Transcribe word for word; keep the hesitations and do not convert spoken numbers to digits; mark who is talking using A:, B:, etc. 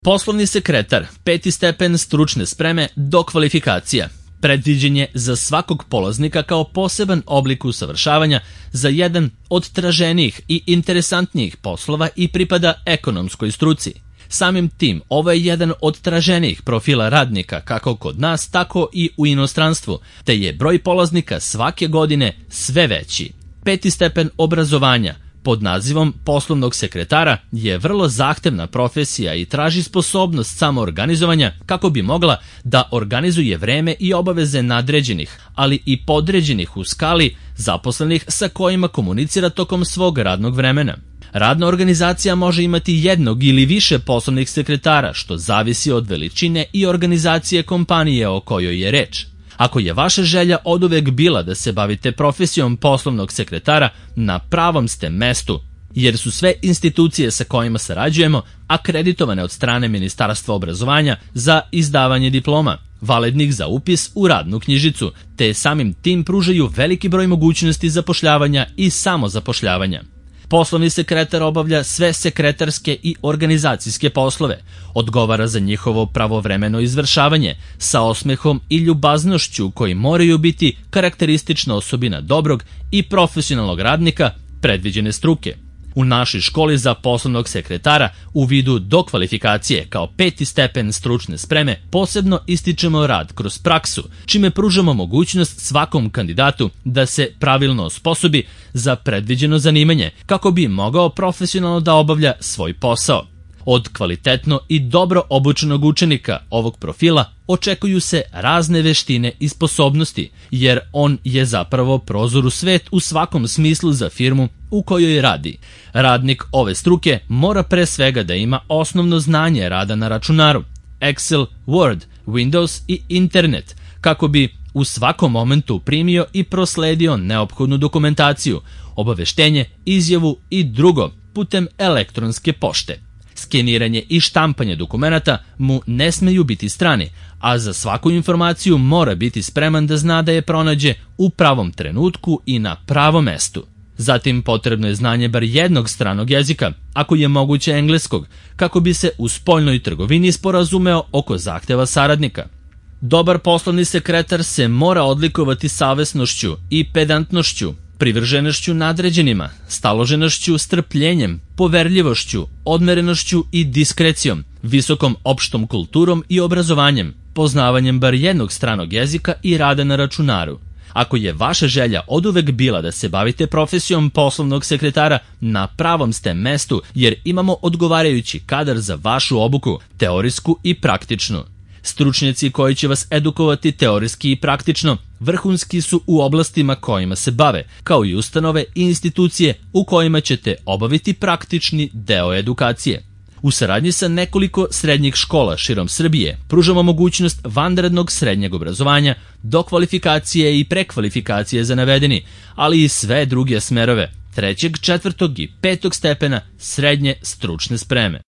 A: Poslovni sekretar, peti stepen stručne spreme, dokvalifikacija. Predviđen je za svakog polaznika kao poseban oblik usavršavanja za jedan od traženijih i interesantnijih poslova i pripada ekonomskoj struci. Samim tim, ovo je jedan od traženijih profila radnika kako kod nas, tako i u inostranstvu, te je broj polaznika svake godine sve veći. Peti stepen obrazovanja pod nazivom poslovnog sekretara je vrlo zahtevna profesija i traži sposobnost samoorganizovanja kako bi mogla da organizuje vreme i obaveze nadređenih, ali i podređenih u skali zaposlenih sa kojima komunicira tokom svog radnog vremena. Radna organizacija može imati jednog ili više poslovnih sekretara, što zavisi od veličine i organizacije kompanije o kojoj je reč. Ako je vaša želja oduvek bila da se bavite profesijom poslovnog sekretara, na pravom ste mestu, jer su sve institucije sa kojima sarađujemo akreditovane od strane Ministarstva obrazovanja za izdavanje diploma, validnih za upis u radnu knjižicu, te samim tim pružaju veliki broj mogućnosti zapošljavanja i samozapošljavanja. Poslovni sekretar obavlja sve sekretarske i organizacijske poslove, odgovara za njihovo pravovremeno izvršavanje, sa osmehom i ljubaznošću koji moraju biti karakteristična osobina dobrog i profesionalnog radnika predviđene struke. U našoj školi za poslovnog sekretara u vidu dokvalifikacije kao peti stepen stručne spreme posebno ističemo rad kroz praksu, čime pružamo mogućnost svakom kandidatu da se pravilno osposobi za predviđeno zanimanje kako bi mogao profesionalno da obavlja svoj posao. Od kvalitetno i dobro obučenog učenika ovog profila očekuju se razne veštine i sposobnosti, jer on je zapravo prozor u svet u svakom smislu za firmu u kojoj radi. Radnik ove struke mora pre svega da ima osnovno znanje rada na računaru, Excel, Word, Windows i internet, kako bi u svakom momentu primio i prosledio neophodnu dokumentaciju, obaveštenje, izjavu i drugo putem elektronske pošte. Skeniranje i štampanje dokumenata mu ne smeju biti strani, a za svaku informaciju mora biti spreman da zna da je pronađe u pravom trenutku i na pravom mestu. Zatim potrebno je znanje bar jednog stranog jezika, ako je moguće engleskog, kako bi se u spoljnoj trgovini sporazumeo oko zahteva saradnika. Dobar poslovni sekretar se mora odlikovati savesnošću i pedantnošću, privrženošću nadređenima, staloženošću, strpljenjem, poverljivošću, odmerenošću i diskrecijom, visokom opštom kulturom i obrazovanjem, poznavanjem bar jednog stranog jezika i rada na računaru. Ako je vaša želja oduvek bila da se bavite profesijom poslovnog sekretara, na pravom ste mestu jer imamo odgovarajući kadar za vašu obuku, teorijsku i praktičnu. Stručnjaci koji će vas edukovati teorijski i praktično vrhunski su u oblastima kojima se bave, kao i ustanove i institucije u kojima ćete obaviti praktični deo edukacije. U saradnji sa nekoliko srednjih škola širom Srbije pružamo mogućnost vanrednog srednjeg obrazovanja, dokvalifikacije i prekvalifikacije za navedeni, ali i sve druge smerove trećeg, četvrtog i petog stepena srednje stručne spreme.